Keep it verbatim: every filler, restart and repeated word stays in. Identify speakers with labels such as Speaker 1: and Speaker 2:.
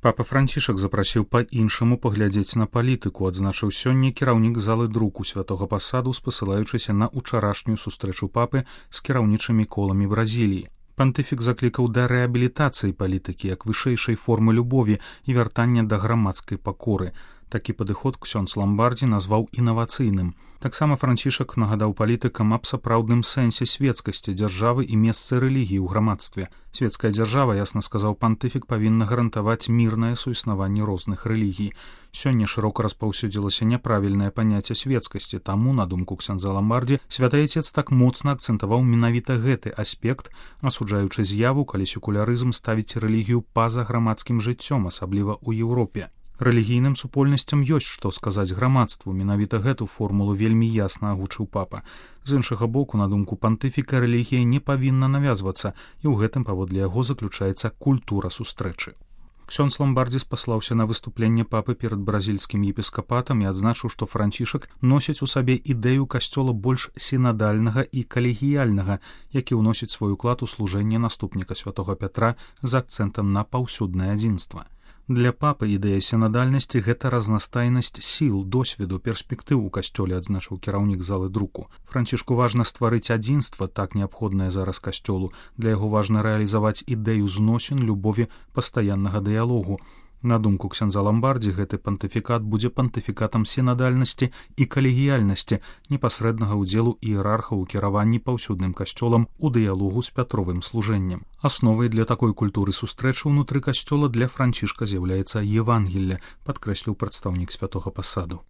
Speaker 1: Папа Францішак запрасіў па-іншаму паглядзець на палітыку, адзначыў сёння кіраўнік залы друку святога пасаду, спасылаючыся на ўчарашнюю сустрэчу папы з кіраўнічымі коламі Бразіліі. Пантыфік заклікаў да рэабілітацыі палітыкі як вышэйшай формы любові і вяртання да грамадскай пакоры. Такі падыход ксёндз Ламбардзі назваў інавацыйным. Таксама Францішак нагадаў палітыкам аб сапраўдным сэнсе свецкасці дзяржавы і месцы рэлігіі ў грамадстве. Свецкая дзяржава, ясна сказаў пантыфік, павінна гарантаваць мірнае суіснаванне розных рэлігій. Сёння шырока распаўсюдзілася няправільнае паняцце свецкасці, таму, на думку ксяндза Ламбардзі, святы айцец так моцна акцэнтаваў менавіта гэты аспект, асуджаючы з'яву, калі секулярызм ставіць рэлігію па-за грамадскім жыццём, асабліва ў Еўропе. Рэлігійным супольнасцям ёсць што сказаць грамадству, менавіта гэту формулу вельмі ясна агучыў папа. З іншага боку, на думку пантыфіка, рэлігія не павінна навязвацца, і ў гэтым паводле яго заключаецца культура сустрэчы. Ксёндз Ламбардзі спаслаўся на выступленне папы перад бразільскім епіскапатам і адзначыў, што Францішак носіць у сабе ідэю касцёла больш сінадальнага і калегіяльнага, які ўносіць свой уклад у служэнне наступніка святога Пятра з акцэнтам на паўсюднае адзінства. Для папы ідэя сінадальнасці — гэта разнастайнасць сіл, досведу, перспектыў у касцёле, адзначыў кіраўнік залы друку. Францішку важна стварыць адзінства, так неабходнае зараз касцёлу. Для яго важна рэалізаваць ідэю зносін, любові, пастаяннага дыялогу. На думку ксяндза Ламбардзі, гэты пантыфікат будзе пантыфікатам сінадальнасці і калегіяльнасці, непасрэднага ўдзелу іерархаў у кіраванні паўсюдным касцёлам у дыялогу з пятровым служэннем. Асновай для такой культуры сустрэчы ўнутры касцёла для Францішка з'яўляецца Евангелле, падкрэсліў прадстаўнік святога пасаду.